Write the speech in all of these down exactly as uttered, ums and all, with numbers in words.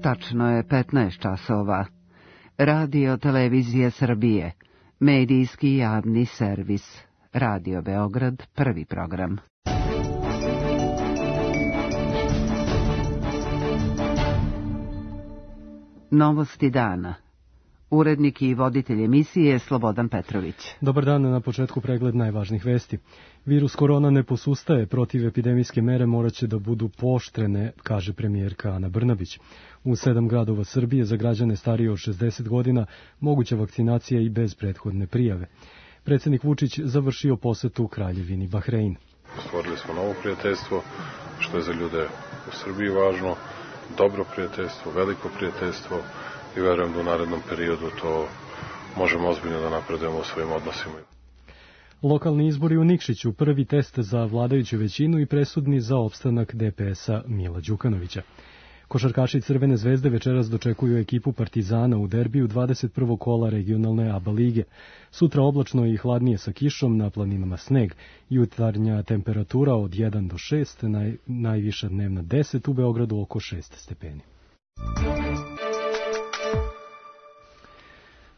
Tačno je petnaest časova. Radio Televizija Srbije, medijski javni servis. Radio Beograd, prvi program. Novosti dana. Urednik i voditelj emisije Slobodan Petrović. Dobar dan, na početku pregled najvažnijih vesti. Virus korona ne posustaje, protiv epidemijske mere moraće da budu pooštrene, kaže premijerka Ana Brnabić. U sedam gradova Srbije za građane starije od šezdeset godina moguća vakcinacija i bez prethodne prijave. Predsjednik Vučić završio posetu u Kraljevini Bahrein. Stvorili smo novo prijateljstvo, što je za ljude u Srbiji važno, dobro prijateljstvo, veliko prijateljstvo i verujem da u narednom periodu to možemo ozbiljno da napredujemo u svojim odnosima. Lokalni izbori u Nikšiću, prvi test za vladajuću većinu i presudni za opstanak D P S-a Mila Đukanovića. Košarkaši Crvene zvezde večeras dočekuju ekipu Partizana u derbiju dvadeset prvog kola regionalne A B A lige. Sutra oblačno i hladnije sa kišom, na planinama sneg. Jutarnja temperatura od jedan do šest, naj, najviša dnevna deset, u Beogradu oko šest stepeni.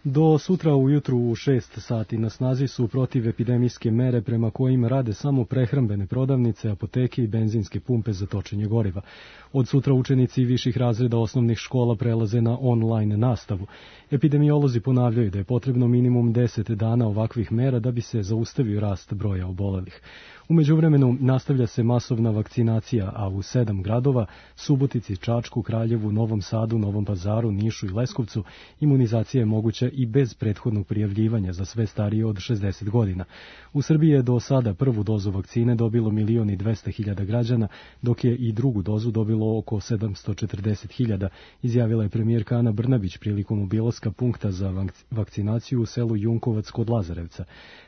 Do sutra ujutru u šest sati na snazi su protivepidemijske mere prema kojima rade samo prehrambene prodavnice, apoteke i benzinske pumpe za točenje goriva. Od sutra učenici viših razreda osnovnih škola prelaze na online nastavu. Epidemiolozi ponavljaju da je potrebno minimum deset dana ovakvih mera da bi se zaustavio rast broja obolelih. U međuvremenu nastavlja se masovna vakcinacija, a u sedam gradova, Subotici, Čačku, Kraljevu, Novom Sadu, Novom Pazaru, Nišu i Leskovcu, imunizacija je moguća i bez prethodnog prijavljivanja za sve starije od šezdeset godina. U Srbiji je do sada prvu dozu vakcine dobilo milion i dvesta hiljada građana, dok je i drugu dozu dobilo oko sedamsto četrdeset hiljada, izjavila je premijerka Ana Brnabić prilikom obilaska punkta za vakcinaciju u selu Junkovac kod Lazarevca.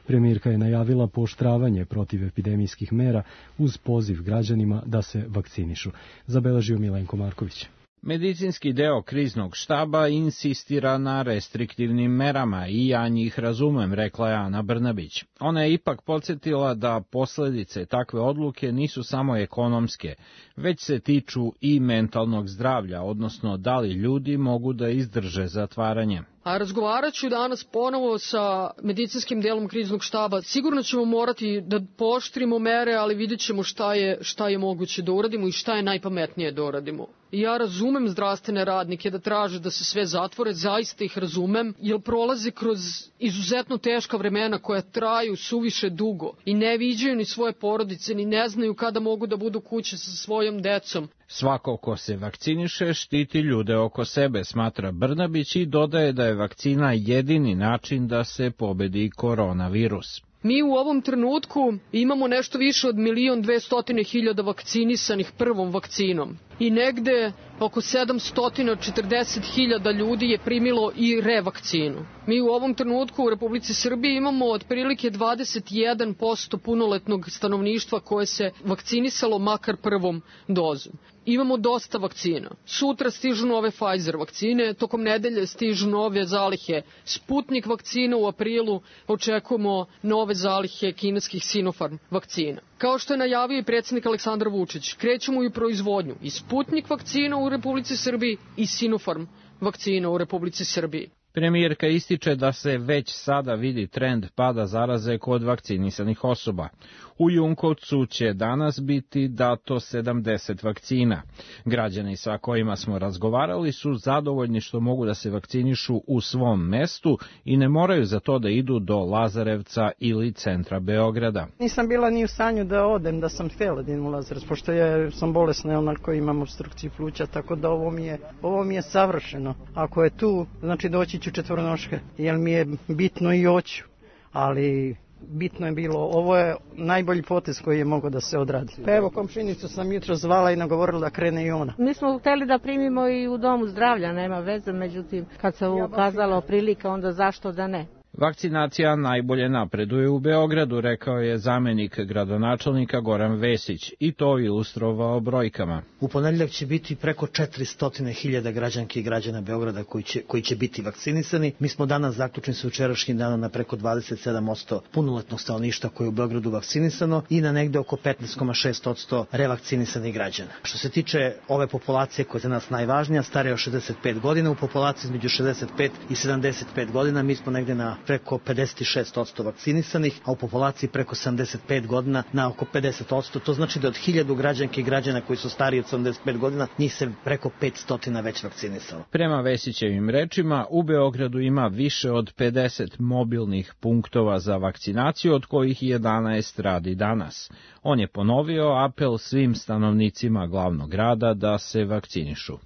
Premijerka je najavila pooštravanje protiv epidemijskih mera uz poziv građanima da se vakcinišu. Zabeležio Milenko Marković. Medicinski deo kriznog štaba insistira na restriktivnim merama i ja njih razumem, rekla je Ana Brnabić. Ona je ipak podsjetila da posledice takve odluke nisu samo ekonomske, već se tiču i mentalnog zdravlja, odnosno da li ljudi mogu da izdrže zatvaranje. A razgovarat ću danas ponovo sa medicinskim delom kriznog štaba. Sigurno ćemo morati da pooštrimo mere, ali vidjet ćemo šta je, šta je moguće da uradimo i šta je najpametnije da uradimo. Ja razumem zdravstvene radnike da traže da se sve zatvore, zaista ih razumem, jer prolaze kroz izuzetno teška vremena koja traju suviše dugo i ne viđaju ni svoje porodice, ni ne znaju kada mogu da budu kuće sa svojom decom. Svako ko se vakciniše štiti ljude oko sebe, smatra Brnabić i dodaje da je vakcina jedini način da se pobedi koronavirus. Mi u ovom trenutku imamo nešto više od milion dvestotine hiljada vakcinisanih prvom vakcinom i negde oko sedamsto četrdeset hiljada ljudi je primilo i revakcinu. Mi u ovom trenutku u Republici Srbiji imamo otprilike dvadeset jedan posto punoletnog stanovništva koje se vakcinisalo makar prvom dozom. Imamo dosta vakcina. Sutra stižu nove Pfizer vakcine, tokom nedelje stižu nove zalihe Sputnik vakcina, u aprilu očekujemo nove zalihe kineskih Sinopharm vakcina. Kao što je najavio i predsjednik Aleksandar Vučić, krećemo i u proizvodnju i Sputnik vakcina u Republici Srbiji i Sinopharm vakcina u Republici Srbiji. Premijerka ističe da se već sada vidi trend pada zaraze kod vakcinisanih osoba. U Junkovcu će danas biti dato sedamdeset vakcina. Građani sa kojima smo razgovarali su zadovoljni što mogu da se vakcinišu u svom mestu i ne moraju za to da idu do Lazarevca ili centra Beograda. Nisam bila ni u stanju da odem, da sam htjela da idem u Lazarevac, pošto ja sam bolesna, onako imam opstrukciju pluća, tako da ovo mi je, ovo mi je savršeno. Ako je tu, znači doći ću četvrnoške, jer mi je bitno i hoću, ali bitno je bilo, ovo je najbolji potez koji je mogao da se odradi. Pa evo, komšinicu sam jutro zvala i nagovorila da krene i ona. Mi smo hteli da primimo i u domu zdravlja, nema veze, međutim, kad se ukazala prilika, onda zašto da ne? Vakcinacija najbolje napreduje u Beogradu, rekao je zamenik gradonačelnika Goran Vesić, i to ilustrovao brojkama. U ponedeljak će biti preko četiristo hiljada građanki i građana Beograda koji će, koji će biti vakcinisani. Mi smo danas zaključeni sa jučerašnjim danom na preko dvadeset sedam posto punoletnog stanovništva koje je u Beogradu vakcinisano i na negde oko petnaest zarez šest posto revakcinisanih građana. Što se tiče ove populacije koja je za nas najvažnija, starija od šezdeset pet godina, u populaciji između šezdeset pet i sedamdeset pet godina mi smo negde na preko pedeset šest posto vakcinisanih, a u populaciji preko sedamdeset pet godina na oko pedeset posto. To znači da od hiljadu građanki i građana koji su stariji od sedamdeset pet godina, njih se preko petsto već vakcinisalo. Prema Vesićevim rečima, u Beogradu ima više od pedeset mobilnih punktova za vakcinaciju, od kojih jedanaest radi danas. On je ponovio apel svim stanovnicima glavnog grada da se vakcinišu.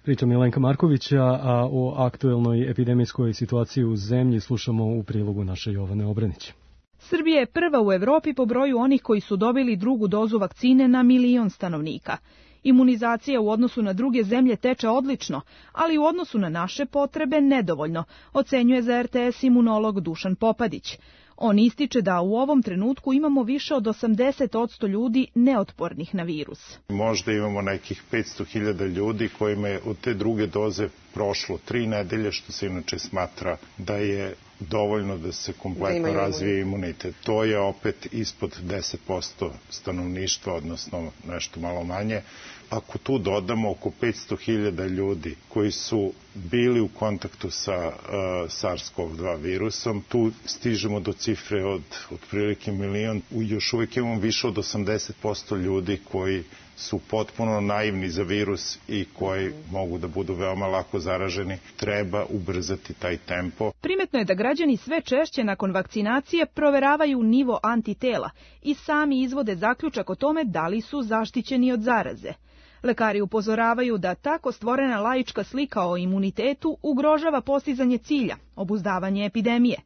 Priča Milenka Markovića, a o aktuelnoj epidemijskoj situaciji u zemlji slušamo u prilogu naše Jovane Obranić. Srbija je prva u Evropi po broju onih koji su dobili drugu dozu vakcine na milion stanovnika. Imunizacija u odnosu na druge zemlje teče odlično, ali u odnosu na naše potrebe nedovoljno, ocenjuje za er te es imunolog Dušan Popadić. On ističe da u ovom trenutku imamo više od osamdeset posto ljudi neotpornih na virus. Možda imamo nekih petsto hiljada ljudi kojima je od te druge doze prošlo tri nedelje, što se inače smatra da je dovoljno da se kompletno razvije imunitet. To je opet ispod deset posto stanovništva, odnosno nešto malo manje. Ako tu dodamo oko petsto hiljada ljudi koji su bili u kontaktu sa uh, SARS-CoV dva virusom, tu stižemo do cifre od otprilike milion. Još uvijek imamo više od osamdeset posto ljudi koji su potpuno naivni za virus i koji mogu da budu veoma lako zaraženi. Treba ubrzati taj tempo. Primetno je da građani sve češće nakon vakcinacije proveravaju nivo antitela i sami izvode zaključak o tome da li su zaštićeni od zaraze. Lekari upozoravaju da tako stvorena laička slika o imunitetu ugrožava postizanje cilja, obuzdavanje epidemije.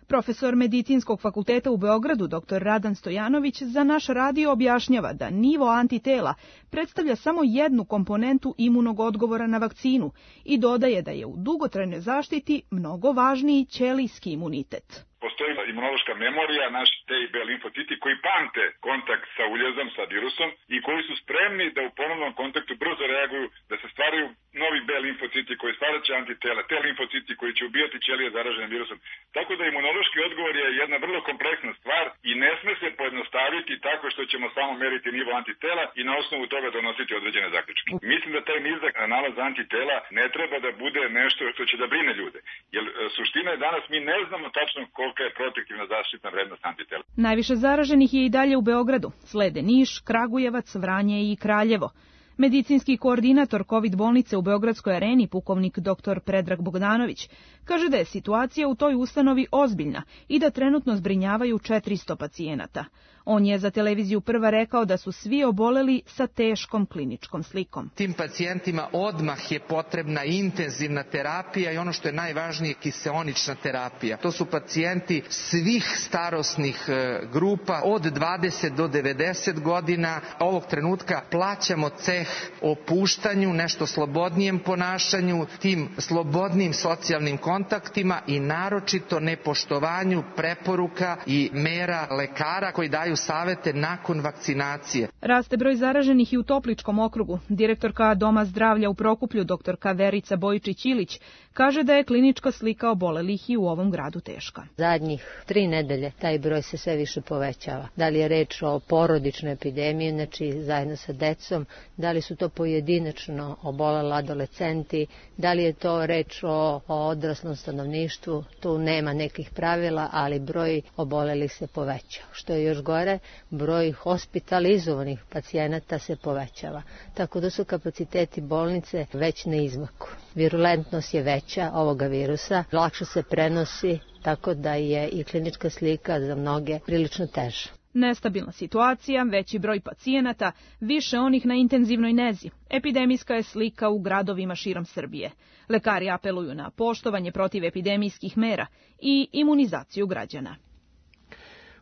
Profesor Medicinskog fakulteta u Beogradu, doktor Radan Stojanović, za naš radio objašnjava da nivo antitela predstavlja samo jednu komponentu imunog odgovora na vakcinu i dodaje da je u dugotrajnoj zaštiti mnogo važniji ćelijski imunitet. Postoji imunološka memorija, naši T i B limfociti koji pamte kontakt sa uljezom, sa virusom i koji su spremni da u ponovnom kontaktu brzo reaguju, da se stvaraju novi B limfociti koji stvaraće antitela, te limfociti koji će ubijati ćelije zaražene virusom. Tako da imunološki odgovor je jedna vrlo kompleksna stvar i ne sme se pojednostaviti tako što ćemo samo meriti nivo antitela i na osnovu toga donositi određene zaključke. Mislim da taj nizak nalaz antitela ne treba da bude nešto što će da brine ljude. Jer suština je danas mi ne znamo tačno kolika je protektivna zaštitna vrednost antitela. Najviše zaraženih je i dalje u Beogradu. Slede Niš, Kragujevac, Vranje i Kraljevo. Medicinski koordinator kovid bolnice u Beogradskoj areni, pukovnik doktor Predrag Bogdanović, kaže da je situacija u toj ustanovi ozbiljna i da trenutno zbrinjavaju četiristo pacijenata. On je za televiziju Prva rekao da su svi oboleli sa teškom kliničkom slikom. Tim pacijentima odmah je potrebna intenzivna terapija i ono što je najvažnije, kiseonična terapija. To su pacijenti svih starosnih grupa od dvadeset do devedeset godina. Ovog trenutka plaćamo ceh opuštanju, nešto slobodnijem ponašanju, tim slobodnim socijalnim kontaktima i naročito nepoštovanju preporuka i mera lekara koji daju savete nakon vakcinacije. Raste broj zaraženih i u Topličkom okrugu. Direktorka Doma zdravlja u Prokuplju, doktorka Verica Bojičić-Ilić, kaže da je klinička slika obolelih i u ovom gradu teška. Zadnjih tri nedelje taj broj se sve više povećava. Da li je reč o porodičnoj epidemiji, znači zajedno sa decom, da li su to pojedinačno oboleli adolescenti, da li je to reč o, o odraslom stanovništvu, tu nema nekih pravila, ali broj obolelih se povećao. Što je još gore, broj hospitalizovanih pacijenata se povećava. Tako da su kapaciteti bolnice već na izmaku. Virulentnost je veća ovoga virusa, lakše se prenosi, tako da je i klinička slika za mnoge prilično teža. Nestabilna situacija, veći broj pacijenata, više onih na intenzivnoj nezi. Epidemijska je slika u gradovima širom Srbije. Lekari apeluju na poštovanje protivepidemijskih mera i imunizaciju građana.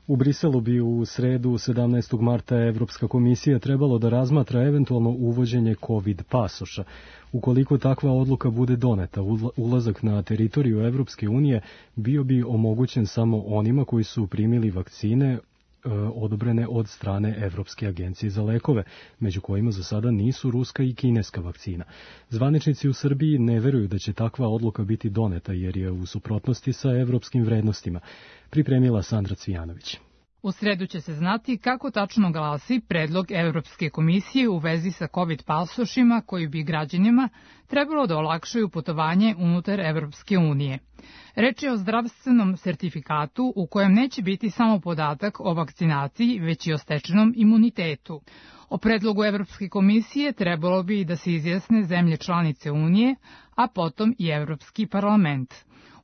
U Briselu bi u sredu sedamnaestog marta Evropska komisija trebalo da razmatra eventualno uvođenje COVID pasoša. Ukoliko takva odluka bude doneta, ulazak na teritoriju Evropske unije bio bi omogućen samo onima koji su primili vakcine odobrene od strane Evropske agencije za lekove, među kojima za sada nisu ruska i kineska vakcina. Zvaničnici u Srbiji ne veruju da će takva odluka biti doneta jer je u suprotnosti sa evropskim vrednostima, pripremila Sandra Cvijanović. U sredu će se znati kako tačno glasi predlog Evropske komisije u vezi sa COVID pasošima koji bi građanima trebalo da olakšaju putovanje unutar Evropske unije. Reč je o zdravstvenom sertifikatu u kojem neće biti samo podatak o vakcinaciji, već i o stečenom imunitetu. O predlogu Evropske komisije trebalo bi da se izjasne zemlje članice Unije, a potom i Evropski parlament.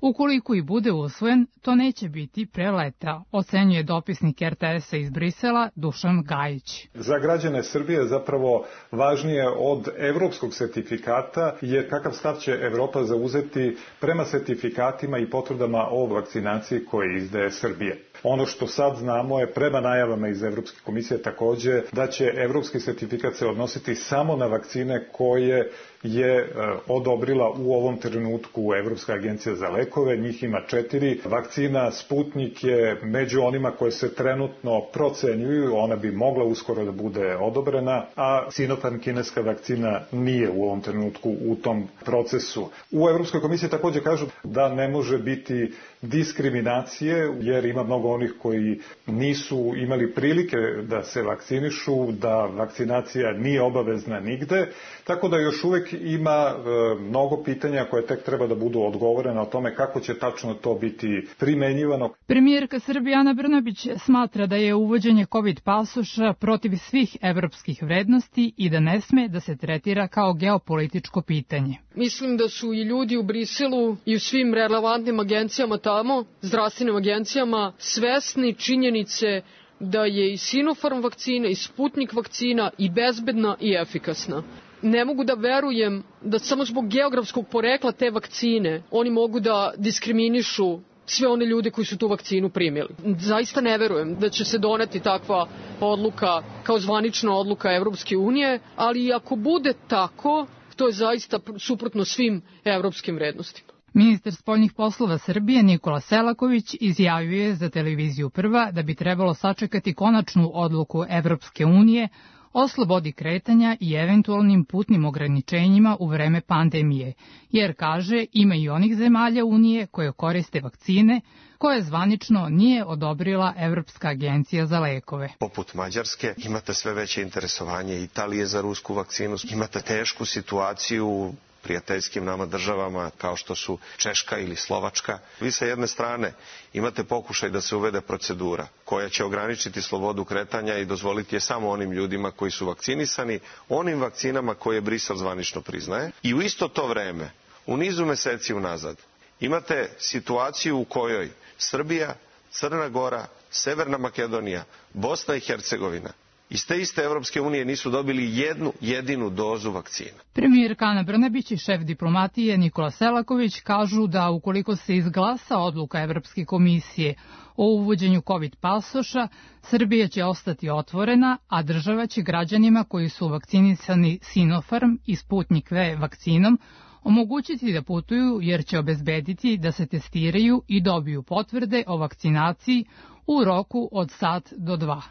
Ukoliko i bude usvojen, to neće biti pre leta, ocenjuje dopisnik er te esa iz Brisela Dušan Gajić. Za građane Srbije zapravo važnije od evropskog sertifikata je kakav stav će Evropa zauzeti prema sertifikatima i potvrdama o vakcinaciji koje izdaje Srbije. Ono što sad znamo je prema najavama iz Evropske komisije takođe da će evropski sertifikat se odnositi samo na vakcine koje je odobrila u ovom trenutku Evropska agencija za lekove. Njih ima četiri. Vakcina Sputnik je među onima koje se trenutno procenjuju. Ona bi mogla uskoro da bude odobrena, a Sinopharm kineska vakcina nije u ovom trenutku u tom procesu. U Evropskoj komisiji takođe kažu da ne može biti diskriminacije, jer ima mnogo onih koji nisu imali prilike da se vakcinišu, da vakcinacija nije obavezna nigde, tako da još uvek ima e, mnogo pitanja koje tek treba da budu odgovorene o tome kako će tačno to biti primenjivano. Premijerka Srbije Ana Brnabić smatra da je uvođenje COVID pasoša protiv svih evropskih vrednosti i da ne sme da se tretira kao geopolitičko pitanje. Mislim da su i ljudi u Briselu i u svim relevantnim agencijama tamo, zdravstvenim agencijama, svesni činjenice da je i Sinopharm vakcina i Sputnik vakcina i bezbedna i efikasna. Ne mogu da verujem da samo zbog geografskog porekla te vakcine oni mogu da diskriminišu sve one ljude koji su tu vakcinu primili. Zaista ne verujem da će se doneti takva odluka kao zvanična odluka Evropske unije, ali ako bude tako, to je zaista suprotno svim evropskim vrednostima. Ministar spoljnih poslova Srbije Nikola Selaković izjavio je za televiziju Prva da bi trebalo sačekati konačnu odluku Evropske unije o slobodi kretanja i eventualnim putnim ograničenjima u vreme pandemije, jer, kaže, ima i onih zemalja Unije koje koriste vakcine koje zvanično nije odobrila Evropska agencija za lekove. Poput Mađarske imate sve veće interesovanje Italije za rusku vakcinu, imate tešku situaciju prijateljskim nama državama kao što su Češka ili Slovačka. Vi sa jedne strane imate pokušaj da se uvede procedura koja će ograničiti slobodu kretanja i dozvoliti je samo onim ljudima koji su vakcinisani, onim vakcinama koje Brisel zvanično priznaje. I u isto to vreme, u nizu meseci unazad, imate situaciju u kojoj Srbija, Crna Gora, Severna Makedonija, Bosna i Hercegovina iz te iste Evropske unije nisu dobili jednu jedinu dozu vakcina. Premijerka Ana Brnabić i šef diplomatije Nikola Selaković kažu da ukoliko se izglasa odluka Evropske komisije o uvođenju COVID pasoša, Srbija će ostati otvorena, a država će građanima koji su vakcinisani Sinopharm i Sputnik V vakcinom omogućiti da putuju jer će obezbediti da se testiraju i dobiju potvrde o vakcinaciji u roku od sat do dva.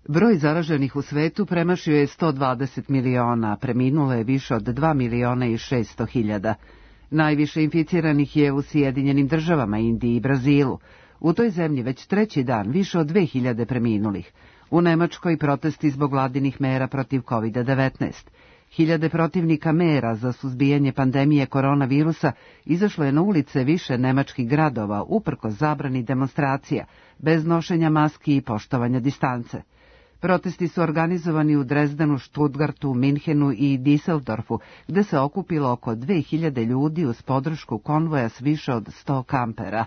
Broj zaraženih u svetu premašio je sto dvadeset miliona, a preminulo je više od dva miliona i šesto hiljada. Najviše inficiranih je u Sjedinjenim državama, Indiji i Brazilu. U toj zemlji već treći dan više od dve hiljade preminulih. U Nemačkoj protesti zbog vladinih mera protiv kovid devetnaest. Hiljade protivnika mera za suzbijanje pandemije koronavirusa izašlo je na ulice više nemačkih gradova uprkos zabrani demonstracija, bez nošenja maski i poštovanja distance. Protesti su organizovani u Drezdenu, Stuttgartu, Minhenu i Düsseldorfu, gde se okupilo oko dve hiljade ljudi uz podršku konvoja s više od sto kampera.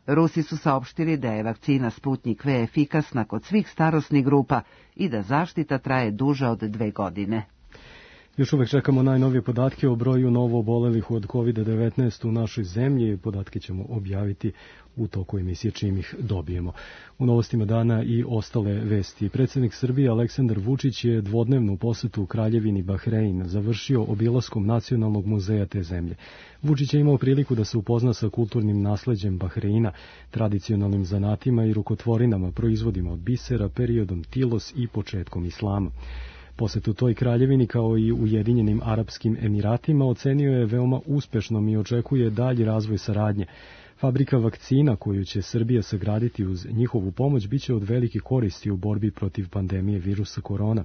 Rusi su saopštili da je vakcina Sputnik V efikasna kod svih starosnih grupa i da zaštita traje duže od dve godine. Još uvek čekamo najnovije podatke o broju novo obolelih od kovid devetnaest u našoj zemlji. Podatke ćemo objaviti u toku emisije čim ih dobijemo. U novostima dana i ostale vesti. Predsjednik Srbije Aleksandar Vučić je dvodnevnu posetu u Kraljevini Bahrein završio obilaskom Nacionalnog muzeja te zemlje. Vučić je imao priliku da se upozna sa kulturnim nasleđem Bahreina, tradicionalnim zanatima i rukotvorinama, proizvodima od bisera, periodom Tilos i početkom islama. Posetu toj kraljevini kao i Ujedinjenim Arapskim Emiratima ocenio je veoma uspešnom i očekuje dalji razvoj saradnje. Fabrika vakcina koju će Srbija sagraditi uz njihovu pomoć biće od velike koristi u borbi protiv pandemije virusa korona.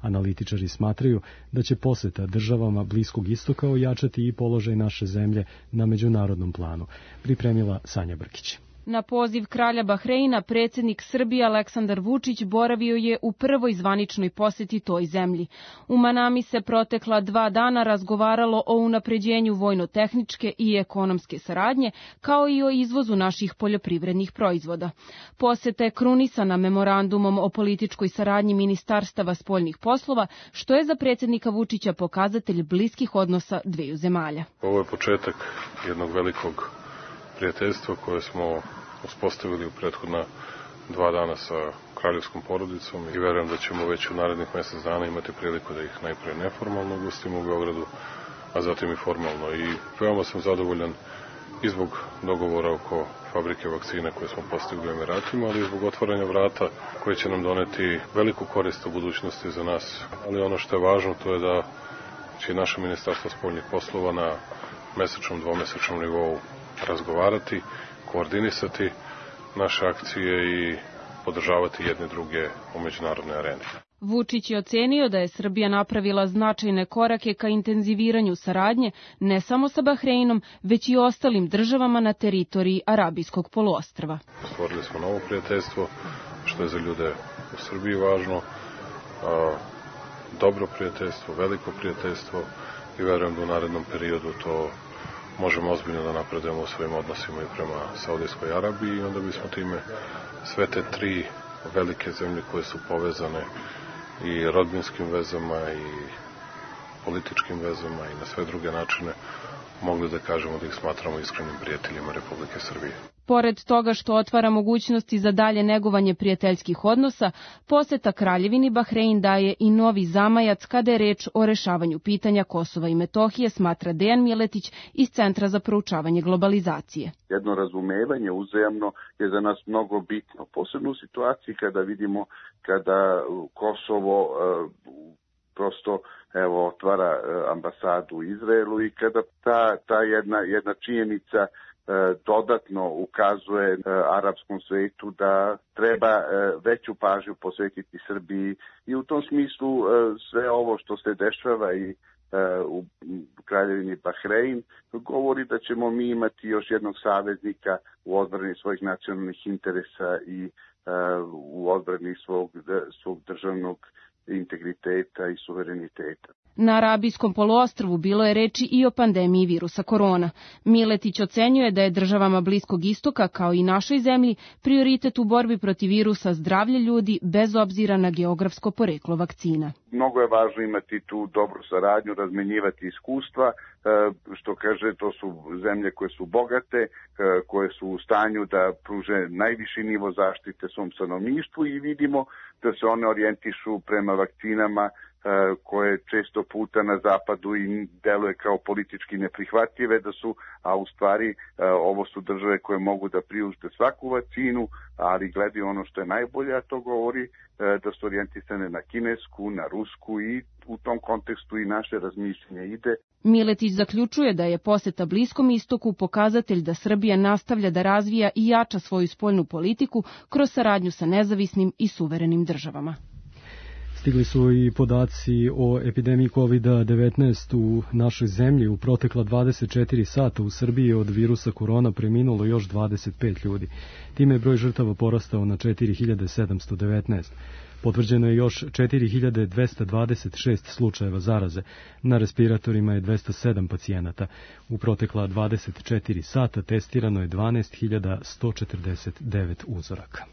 Analitičari smatraju da će poseta državama Bliskog istoka ojačati i položaj naše zemlje na međunarodnom planu. Pripremila Sanja Brkić. Na poziv kralja Bahreina, predsjednik Srbije Aleksandar Vučić boravio je u prvoj zvaničnoj poseti toj zemlji. U Manami se protekla dva dana razgovaralo o unapređenju vojno-tehničke i ekonomske saradnje, kao i o izvozu naših poljoprivrednih proizvoda. Poseta je krunisana memorandumom o političkoj saradnji ministarstava spoljnih poslova, što je za predsjednika Vučića pokazatelj bliskih odnosa dveju zemalja. Ovo je početak jednog velikog prijateljstva koje smo uspostavili u prethodna dva dana sa kraljevskom porodicom i verujem da ćemo već u narednih mjesec dana imati priliku da ih najprije neformalno ugostimo u Beogradu, a zatim i formalno. I veoma sam zadovoljan i zbog dogovora oko fabrike vakcine koje smo postigli u Emiratima, ali i zbog otvaranja vrata koje će nam doneti veliku korist u budućnosti za nas. Ali ono što je važno to je da će naše ministarstvo spoljnih poslova na mesečnom, dvomesečnom nivou razgovarati, koordinisati naše akcije i podržavati jedne druge u međunarodnoj areni. Vučić je ocenio da je Srbija napravila značajne korake ka intenziviranju saradnje ne samo sa Bahreinom, već i ostalim državama na teritoriji Arabijskog poluostrva. Stvorili smo novo prijateljstvo, što je za ljude u Srbiji važno, a, dobro prijateljstvo, veliko prijateljstvo i verujem da u narednom periodu to možemo ozbiljno da napredujemo u svojim odnosima i prema Saudijskoj Arabiji i onda bismo time sve te tri velike zemlje koje su povezane i rodbinskim vezama i političkim vezama i na sve druge načine mogli da kažemo da ih smatramo iskrenim prijateljima Republike Srbije. Pored toga što otvara mogućnosti za dalje negovanje prijateljskih odnosa, poseta Kraljevini Bahrein daje i novi zamajac kada je reč o rešavanju pitanja Kosova i Metohije, smatra Dejan Miletić iz Centra za proučavanje globalizacije. Jedno razumevanje uzajamno je za nas mnogo bitno, posebno u situaciji kada vidimo kada Kosovo prosto evo otvara ambasadu u Izraelu i kada ta, ta jedna, jedna činjenica dodatno ukazuje arapskom svetu da treba veću pažnju posvetiti Srbiji i u tom smislu sve ovo što se dešava i u Kraljevini Bahrein govori da ćemo mi imati još jednog saveznika u odbrani svojih nacionalnih interesa i u odbrani svog, svog državnog integriteta i suvereniteta. Na Arabijskom poluostrvu bilo je reči i o pandemiji virusa korona. Miletić ocenjuje da je državama Bliskog istoka, kao i našoj zemlji, prioritet u borbi protiv virusa zdravlje ljudi bez obzira na geografsko poreklo vakcina. Mnogo je važno imati tu dobru saradnju, razmenjivati iskustva, što kaže to su zemlje koje su bogate, koje su u stanju da pruže najviši nivo zaštite svom stanovništvu i vidimo da se one orijentišu prema vakcinama koje često puta na zapadu i deluje kao politički neprihvatljive da su, a u stvari ovo su države koje mogu da priušte svaku vakcinu, ali gledaju ono što je najbolje, a to govori da su orijentisane na kinesku, na rusku i u tom kontekstu i naše razmišljenje ide. Miletić zaključuje da je poseta Bliskom istoku pokazatelj da Srbija nastavlja da razvija i jača svoju spoljnu politiku kroz saradnju sa nezavisnim i suverenim državama. Stigli su i podaci o epidemiji kovid devetnaest u našoj zemlji. U protekla dvadeset četiri sata u Srbiji od virusa korona preminulo još dvadeset pet ljudi. Time je broj žrtava porastao na četiri hiljade sedamsto devetnaest. Potvrđeno je još četiri hiljade dvesta dvadeset šest slučajeva zaraze. Na respiratorima je dvesta sedam pacijenata. U protekla dvadeset četiri sata testirano je dvanaest hiljada sto četrdeset devet uzoraka.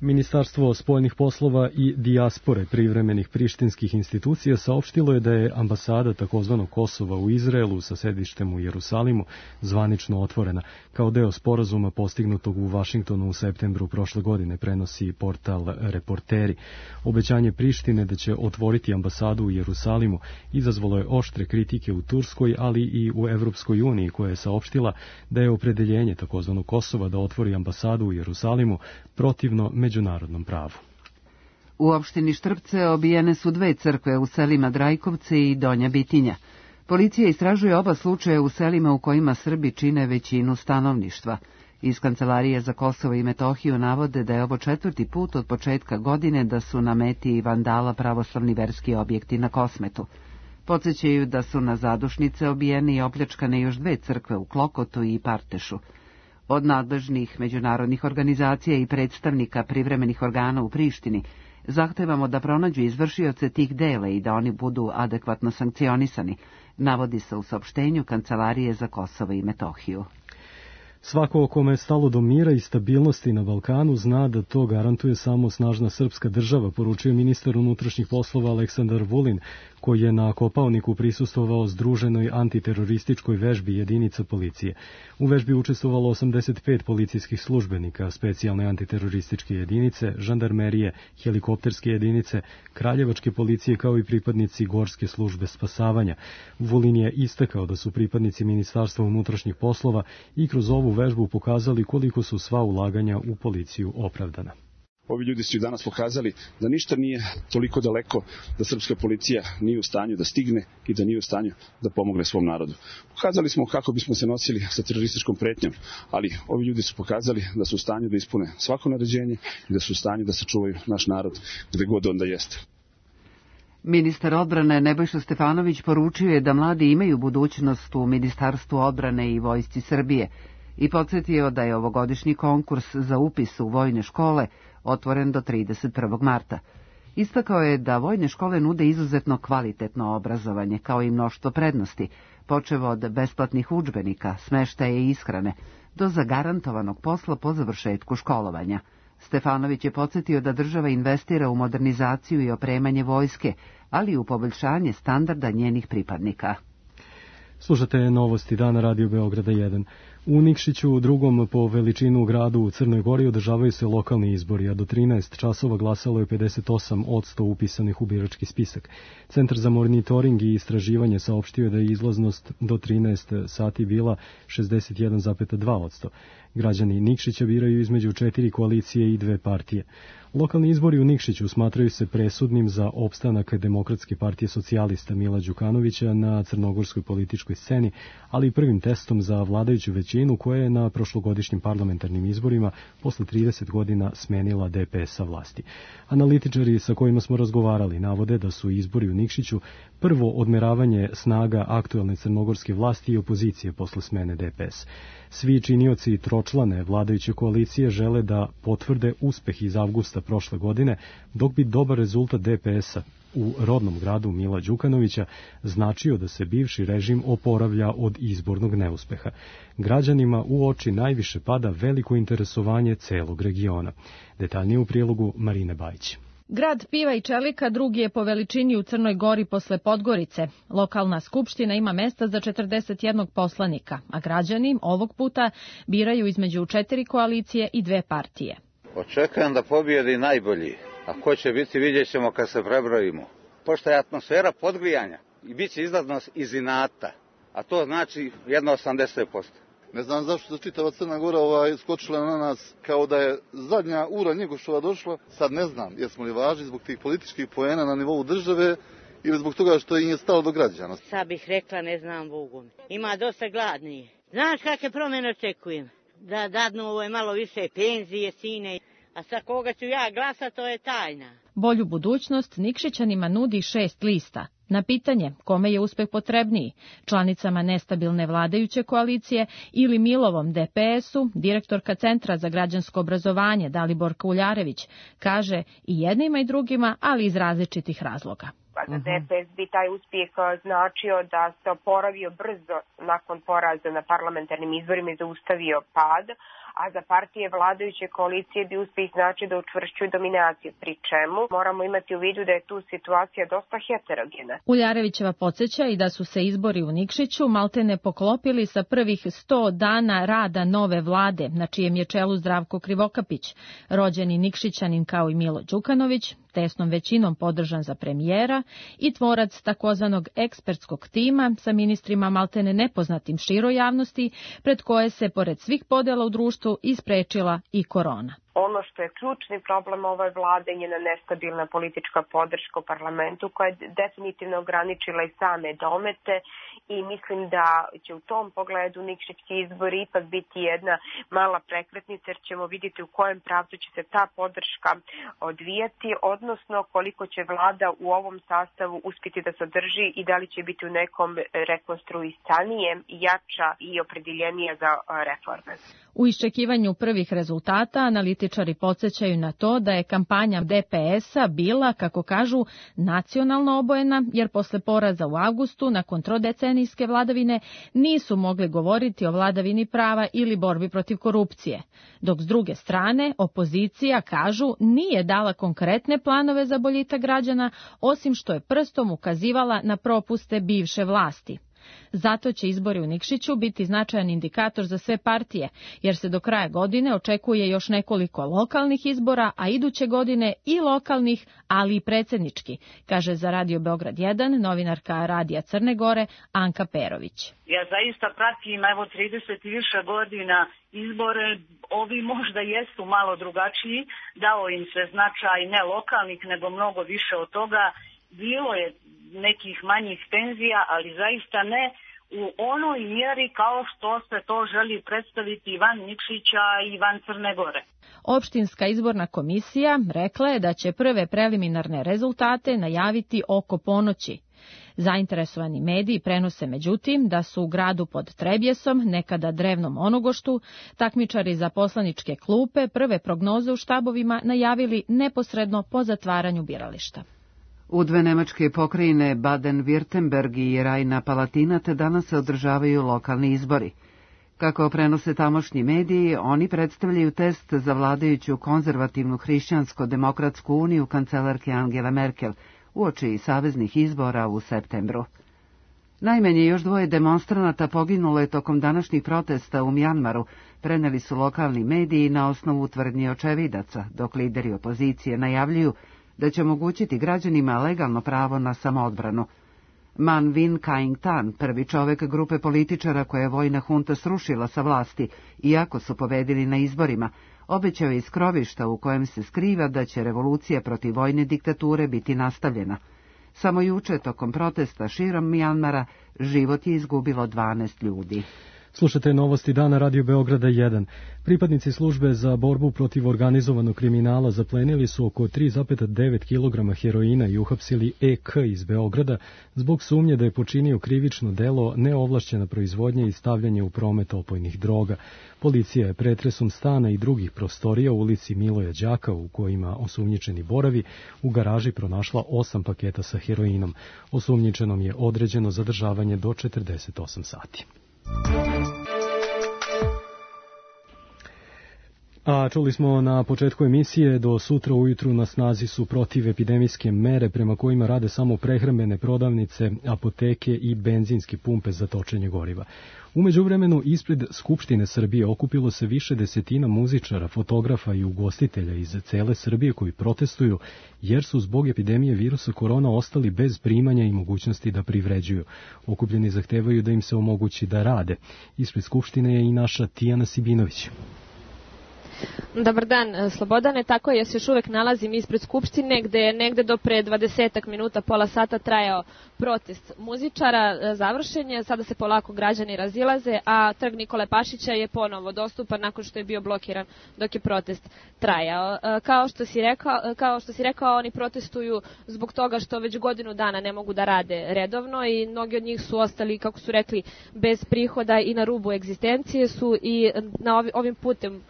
Ministarstvo spoljnih poslova i dijaspore privremenih prištinskih institucija saopštilo je da je ambasada takozvanog Kosova u Izraelu sa sedištem u Jerusalimu zvanično otvorena, kao deo sporazuma postignutog u Vašingtonu u septembru prošle godine, prenosi portal Reporteri. Obećanje Prištine da će otvoriti ambasadu u Jerusalimu izazvalo je oštre kritike u Turskoj, ali i u Evropskoj uniji, koja je saopštila da je opredeljenje takozvanog Kosova da otvori ambasadu u Jerusalimu protivno međunarodnom pravu. U opštini Štrpce obijene su dve crkve u selima Drajkovce i Donja Bitinja. Policija istražuje oba slučaja u selima u kojima Srbi čine većinu stanovništva. Iz Kancelarije za Kosovo i Metohiju navode da je ovo četvrti put od početka godine da su na meti vandala pravoslavni verski objekti na Kosmetu. Podsećaju da su na zadušnice obijene i opljačkane još dve crkve u Klokotu i Partešu. Od nadležnih međunarodnih organizacija i predstavnika privremenih organa u Prištini zahtevamo da pronađu izvršioce tih dela i da oni budu adekvatno sankcionisani, navodi se u saopštenju Kancelarije za Kosovo i Metohiju. Svako kome je stalo do mira i stabilnosti na Balkanu zna da to garantuje samo snažna srpska država, poručio ministar unutrašnjih poslova Aleksandar Vulin, koji je na Kopaoniku prisustvovao združenoj antiterorističkoj vežbi jedinica policije. U vežbi učestvovalo osamdeset pet policijskih službenika, specijalne antiterorističke jedinice, žandarmerije, helikopterske jedinice, kraljevačke policije kao i pripadnici gorske službe spasavanja. Vulin je istakao da su pripadnici Ministarstva unutrašnjih poslova i kroz ovu vežbu pokazali koliko su sva ulaganja u policiju opravdana. Ovi ljudi su danas pokazali da ništa nije toliko daleko, da srpska policija nije u stanju da stigne i da nije u stanju da pomogne svom narodu. Pokazali smo kako bismo se nosili sa terorističkom pretnjom, ali ovi ljudi su pokazali da su u stanju da ispune svako naređenje i da su u stanju da sačuvaju naš narod gde god onda jeste. Ministar odbrane Nebojša Stefanović poručio je da mladi imaju budućnost u Ministarstvu odbrane i Vojsci Srbije i podsjetio da je ovogodišnji konkurs za upis u vojne škole otvoren do trideset prvog marta. Istakao je da vojne škole nude izuzetno kvalitetno obrazovanje, kao i mnoštvo prednosti, počev od besplatnih udžbenika, smeštaja i ishrane, do zagarantovanog posla po završetku školovanja. Stefanović je podsjetio da država investira u modernizaciju i opremanje vojske, ali i u poboljšanje standarda njenih pripadnika. Slušate novosti dana Radio Beograda jedan. U Nikšiću, drugom po veličinu gradu u Crnoj Gori, održavaju se lokalni izbori, a do trinaest časova glasalo je pedeset osam posto upisanih u birački spisak. Centar za monitoring i istraživanje saopštio je da je izlaznost do trinaest sati bila šezdeset jedan zarez dva posto. Građani Nikšića biraju između četiri koalicije i dve partije. Lokalni izbori u Nikšiću smatraju se presudnim za opstanak Demokratske partije socijalista Mila Đukanovića na crnogorskoj političkoj sceni, ali i prvim testom za vladajuću većinu koja je na prošlogodišnjim parlamentarnim izborima posle trideset godina smenila D P S sa vlasti. Analitičari sa kojima smo razgovarali navode da su izbori u Nikšiću prvo odmeravanje snaga aktuelne crnogorske vlasti i opozicije posle smene D P S. Svi činioci tročlane vladajuće koalicije žele da potvrde uspeh iz avgusta prošle godine, dok bi dobar rezultat D P S-a u rodnom gradu Mila Đukanovića značio da se bivši režim oporavlja od izbornog neuspeha. Građanima u oči najviše pada veliko interesovanje celog regiona. Detaljnije u prilogu Marine Bajić. Grad piva i čelika drugi je po veličini u Crnoj Gori posle Podgorice. Lokalna skupština ima mesta za četrdeset jednog poslanika, a građani ovog puta biraju između četiri koalicije i dve partije. Očekujem da pobijedi najbolji, a ko će biti vidjet ćemo kad se prebrojimo. Pošto je atmosfera podgrijanja i bit će izlaznost iz inata, a to znači jedno osamdeset posto. Ne znam zašto se čitava Crna Gora ovaj, skočila na nas kao da je zadnja ura Njegošova došla. Sad ne znam, jesmo li važni zbog tih političkih poena na nivou države ili zbog toga što im je stalo do građana. Sad bih rekla, ne znam Bogu. Ima dosta gladnije. Znaš kakve promjene očekujem? Da dadnu ovo malo više penzije, sine. A sa koga ću ja glasa, to je tajna. Bolju budućnost Nikšićanima nudi šest lista. Na pitanje kome je uspeh potrebniji, članicama nestabilne vladajuće koalicije ili Milovom D P S-u, direktorka Centra za građansko obrazovanje Daliborka Uljarević kaže i jednima i drugima, ali iz različitih razloga. Za D P S bi taj uspjeh značio da se oporavio brzo nakon poraza na parlamentarnim izborima i zaustavio pad, a za partije vladajuće koalicije bi uspeh znači da učvršćuju dominaciju, pri čemu moramo imati u vidu da je tu situacija dosta heterogena. Uljarevićeva podsjeća i da su se izbori u Nikšiću maltene poklopili sa prvih sto dana rada nove vlade, na čijem je čelu Zdravko Krivokapić, rođeni Nikšićanin kao i Milo Đukanović, tesnom većinom podržan za premijera i tvorac takozvanog ekspertskog tima sa ministrima maltene nepoznatim široj javnosti, pred koje se, pored svih podela u društvu, isprečila i korona. Ono što je ključni problem ove vlade je njena nestabilna politička podrška u parlamentu koja je definitivno ograničila i same domete i mislim da će u tom pogledu nikšićki izbori ipak biti jedna mala prekretnica jer ćemo vidjeti u kojem pravcu će se ta podrška odvijati, odnosno koliko će vlada u ovom sastavu uspjeti da sadrži i da li će biti u nekom rekonstruisanijem, jača i opredjeljenija za reforme. U iščekivanju prvih rezultata analitičari podsjećaju na to da je kampanja D P S-a bila, kako kažu, nacionalno obojena, jer posle poraza u avgustu, nakon trodecenijske vladavine, nisu mogli govoriti o vladavini prava ili borbi protiv korupcije. Dok s druge strane, opozicija, kažu, nije dala konkretne planove za boljitak građana, osim što je prstom ukazivala na propuste bivše vlasti. Zato će izbori u Nikšiću biti značajan indikator za sve partije, jer se do kraja godine očekuje još nekoliko lokalnih izbora, a iduće godine i lokalnih, ali i predsjednički, kaže za Radio Beograd jedan novinarka Radija Crne Gore Anka Perović. Ja zaista pratim evo trideset i više godina izbore, ovi možda jesu malo drugačiji, dao im se značaj ne lokalnih nego mnogo više od toga, bilo je nekih manjih tenzija, ali zaista ne u onoj mjeri kao što se to želi predstaviti van Nikšića i van Crne Gore. Opštinska izborna komisija rekla je da će prve preliminarne rezultate najaviti oko ponoći. Zainteresovani mediji prenose međutim da su u gradu pod Trebjesom, nekada drevnom Onogoštu, takmičari za poslaničke klupe prve prognoze u štabovima najavili neposredno po zatvaranju birališta. U dve nemačke pokrajine Baden-Württemberg i Rajna-Palatinat danas se održavaju lokalni izbori. Kako prenose tamošnji mediji, oni predstavljaju test za vladajuću konzervativnu hrišćansko-demokratsku uniju kancelarke Angele Merkel uoči saveznih izbora u septembru. Najmanje još dvoje demonstranata poginulo je tokom današnjih protesta u Mjanmaru, preneli su lokalni mediji na osnovu tvrdnji očevidaca, dok lideri opozicije najavljuju da će omogućiti građanima legalno pravo na samoodbranu. Man Win Kaing Tan, prvi čovek grupe političara koje je vojna hunta srušila sa vlasti, iako su pobedili na izborima, obećao je iz krovišta u kojem se skriva da će revolucija protiv vojne diktature biti nastavljena. Samo juče, tokom protesta širom Mjanmara, život je izgubilo dvanaest ljudi. Slušate novosti dana Radio Beograda jedan. Pripadnici službe za borbu protiv organizovanog kriminala zaplenili su oko tri zarez devet kilograma heroina i uhapsili E K iz Beograda zbog sumnje da je počinio krivično delo neovlašćena proizvodnja i stavljanje u promet opojnih droga. Policija je pretresom stana i drugih prostorija u ulici Miloja Đaka, u kojima osumnjičeni boravi, u garaži pronašla osam paketa sa heroinom. Osumnjičenom je određeno zadržavanje do četrdeset osam sati. A čuli smo na početku emisije, do sutra ujutru na snazi su protivepidemijske mere prema kojima rade samo prehrambene prodavnice, apoteke i benzinske pumpe za točenje goriva. U međuvremenu ispred Skupštine Srbije okupilo se više desetina muzičara, fotografa i ugostitelja iz cele Srbije koji protestuju jer su zbog epidemije virusa korona ostali bez primanja i mogućnosti da privređuju. Okupljeni zahtevaju da im se omogući da rade. Ispred Skupštine je i naša Tijana Sibinović. Dobar dan, Slobodane, tako je, ja se još uvek nalazim ispred Skupštine gde je negde do pre dvadesetak minuta, pola sata trajao protest muzičara, završen je, sada se polako građani razilaze, a trg Nikole Pašića je ponovo dostupan nakon što je bio blokiran dok je protest trajao. Kao što si rekao, kao što si rekao, oni protestuju zbog toga što već godinu dana ne mogu da rade redovno i mnogi od njih su ostali, kako su rekli, bez prihoda i na rubu egzistencije su i na ovim putem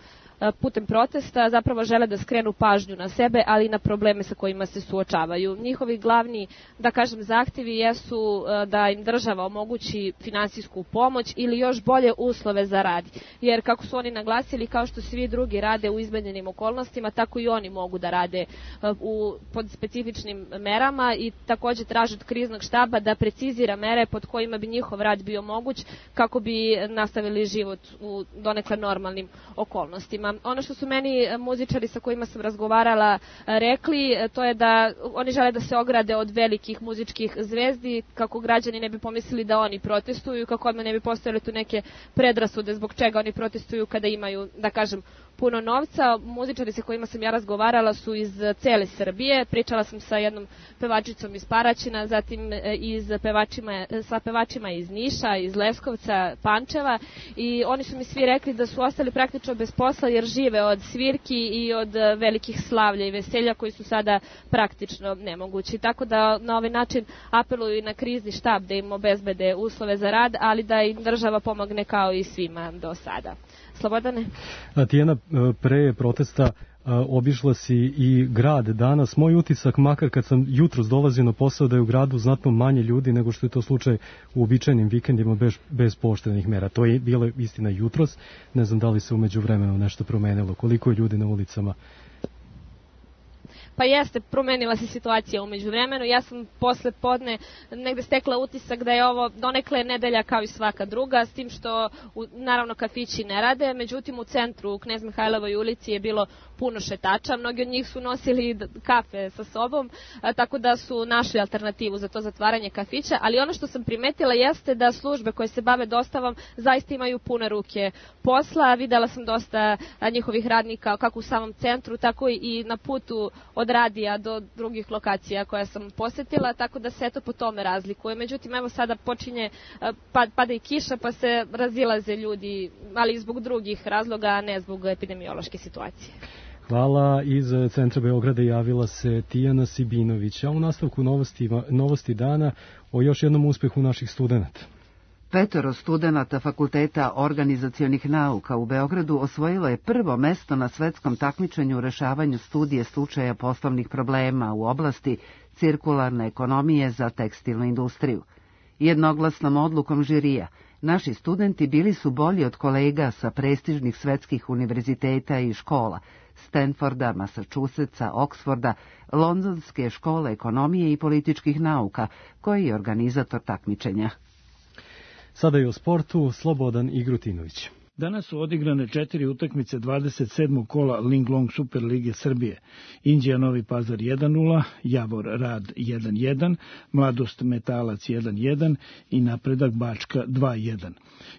putem protesta zapravo žele da skrenu pažnju na sebe, ali i na probleme sa kojima se suočavaju. Njihovi glavni, da kažem, zahtjevi jesu da im država omogući finansijsku pomoć ili još bolje uslove za rad. Jer kako su oni naglasili, kao što svi drugi rade u izmenjenim okolnostima, tako i oni mogu da rade u, pod specifičnim merama i takođe traže od kriznog štaba da precizira mere pod kojima bi njihov rad bio moguć kako bi nastavili život u donekle normalnim okolnostima. Ono što su meni muzičari sa kojima sam razgovarala rekli, to je da oni žele da se ograde od velikih muzičkih zvezdi, kako građani ne bi pomislili da oni protestuju, kako odmah ne bi postojale tu neke predrasude zbog čega oni protestuju kada imaju, da kažem, puno novca. Muzičari sa kojima sam ja razgovarala su iz cele Srbije. Pričala sam sa jednom pevačicom iz Paraćina, zatim iz pevačima, sa pevačima iz Niša, iz Leskovca, Pančeva, i oni su mi svi rekli da su ostali praktično bez posla jer žive od svirki i od velikih slavlja i veselja koji su sada praktično nemogući. Tako da na ovaj način apeluju i na krizni štab da im obezbede uslove za rad, ali da im država pomogne kao i svima do sada. Slobodane? Tijana, pre protesta obišla si i grad danas. Moj utisak, makar kad sam jutros dolazio na posao, da je u gradu znatno manje ljudi nego što je to slučaj u uobičajenim vikendima bez, bez pooštrenih mera. To je bilo istina jutros. Ne znam da li se umeđu vremenu nešto promenilo. Koliko je ljudi na ulicama? Pa jeste, promenila se situacija umeđu vremenu. Ja sam posle podne negde stekla utisak da je ovo donekle nedelja kao i svaka druga, s tim što u, naravno kafići ne rade, međutim u centru u Knez Mihajlovoj ulici je bilo puno šetača, mnogi od njih su nosili kafe sa sobom, a, tako da su našli alternativu za to zatvaranje kafića, ali ono što sam primetila jeste da službe koje se bave dostavom zaista imaju pune ruke posla. Videla sam dosta a, njihovih radnika kako u samom centru, tako i na putu od radija do drugih lokacija koje sam posetila, tako da se eto po tome razlikuje. Međutim, evo sada počinje, pad, pada i kiša, pa se razilaze ljudi, ali zbog drugih razloga, a ne zbog epidemiološke situacije. Hvala. Iz centra Beograda javila se Tijana Sibinović, a u nastavku novosti, novosti dana o još jednom uspehu naših studenta. Petoro studenata Fakulteta organizacionih nauka u Beogradu osvojilo je prvo mesto na svetskom takmičenju u rešavanju studije slučaja poslovnih problema u oblasti cirkularne ekonomije za tekstilnu industriju. Jednoglasnom odlukom žirija, naši studenti bili su bolji od kolega sa prestižnih svetskih univerziteta i škola, Stanforda, Massachusettsa, Oksforda, Londonske škole ekonomije i političkih nauka, koji je organizator takmičenja. Sada je o sportu Slobodan Igrutinović. Danas su odigrane četiri utakmice dvadeset sedmog kola Linglong Super Lige Srbije. Inđija Novi Pazar jedan nula, Javor Rad jedan jedan, Mladost Metalac jedan jedan i Napredak Bačka dva jedan.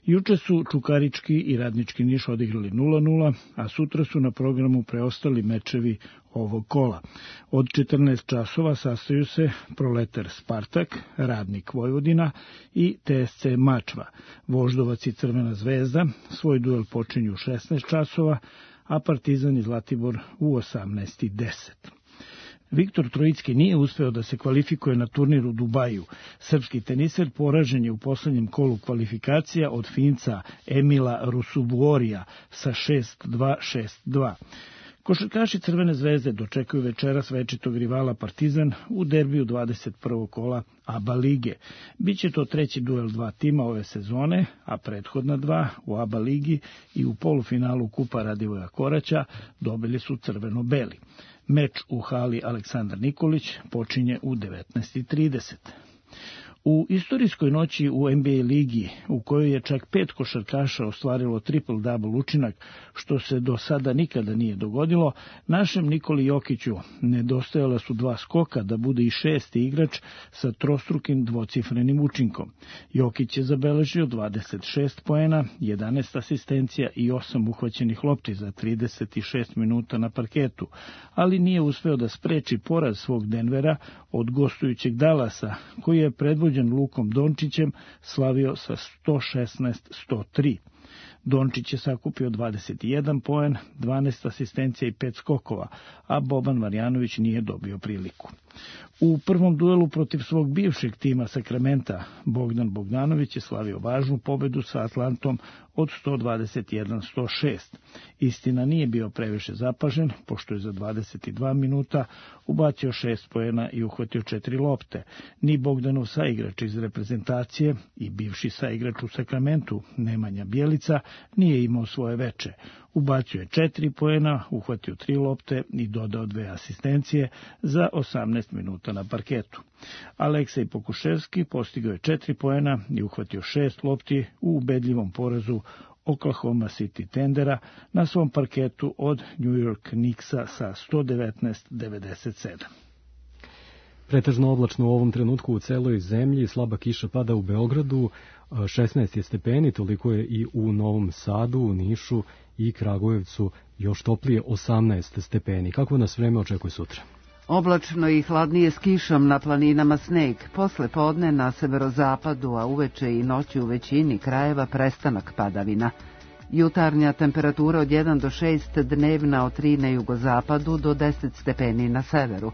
Juče su Čukarički i Radnički Niš odigrali nula nula, a sutra su na programu preostali mečevi ovog kola. Od četrnaest časova sastaju se Proletar Spartak, Radnik Vojvodina i T S C Mačva. Voždovac i Crvena zvezda svoj duel počinju u šesnaest časova, a Partizan i Zlatibor u osamnaest i deset. Viktor Trojicki nije uspeo da se kvalifikuje na turnir u Dubaju. Srpski teniser poražen je u poslednjem kolu kvalifikacija od Finca Emila Rusubuorija sa šest dva šest dva. Košarkaši Crvene zvezde dočekuju večeras večitog rivala Partizan u derbiju dvadeset prvog kola A B A lige. Biće to treći duel dva tima ove sezone, a prethodna dva u A B A ligi i u polufinalu Kupa Radivoja Koraća dobili su crveno-beli. Meč u hali Aleksandar Nikolić počinje u devetnaest i trideset. U istorijskoj noći u N B A ligi, u kojoj je čak pet košarkaša ostvarilo triple-double učinak, što se do sada nikada nije dogodilo, našem Nikoli Jokiću nedostajala su dva skoka da bude i šesti igrač sa trostrukim dvocifrenim učinkom. Jokić je zabeležio dvadeset šest poena, jedanaest asistencija i osam uhvaćenih lopti za trideset šest minuta na parketu, ali nije uspeo da spreči poraz svog Denvera od gostujućeg Dallasa, koji je predvođen Lukom Dončićem slavio sa sto šesnaest sto tri. Dončić je sakupio dvadeset jedan poen, dvanaest asistencija i pet skokova, a Boban Marjanović nije dobio priliku. U prvom duelu protiv svog bivšeg tima Sakramenta Bogdan Bogdanović je slavio važnu pobedu sa Atlantom od sto dvadeset jedan sto šest. Istina, nije bio previše zapažen, pošto je za dvadeset dva minuta ubacio šest poena i uhvatio četiri lopte. Ni Bogdanov saigrač iz reprezentacije i bivši saigrač u Sakramentu Nemanja Bjelica nije imao svoje veče. Ubacio je četiri poena, uhvatio tri lopte i dodao dve asistencije za osamnaest minuta na parketu. Aleksej Pokuševski postigao je četiri poena i uhvatio šest lopti u ubedljivom porazu Oklahoma City Thundera na svom parketu od New York Knicksa sa sto devetnaest devedeset sedam. Pretežno oblačno u ovom trenutku u celoj zemlji, slaba kiša pada u Beogradu, šesnaest je stepeni, toliko je i u Novom Sadu, u Nišu i Kragujevcu, još toplije osamnaest stepeni. Kako nas vreme očekuje sutra? Oblačno i hladnije s kišom, na planinama sneg, posle podne na severozapadu, a uveče i noći u većini krajeva prestanak padavina. Jutarnja temperatura od jedan do šest, dnevna od tri na jugozapadu do deset stepeni na severu.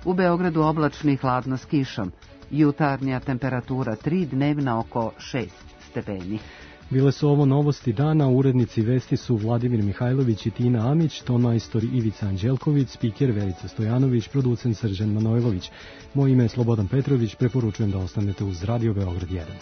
U Beogradu oblačno i hladno s kišom, jutarnja temperatura tri, dnevna oko šest stepeni. Bile su ovo novosti dana, urednici vesti su Vladimir Mihajlović i Tina Amić, tonmajstor Ivica Anđelković, spiker Verica Stojanović, producent Srđan Manojlović. Moje ime je Slobodan Petrović, preporučujem da ostanete uz Radio Beograd jedan.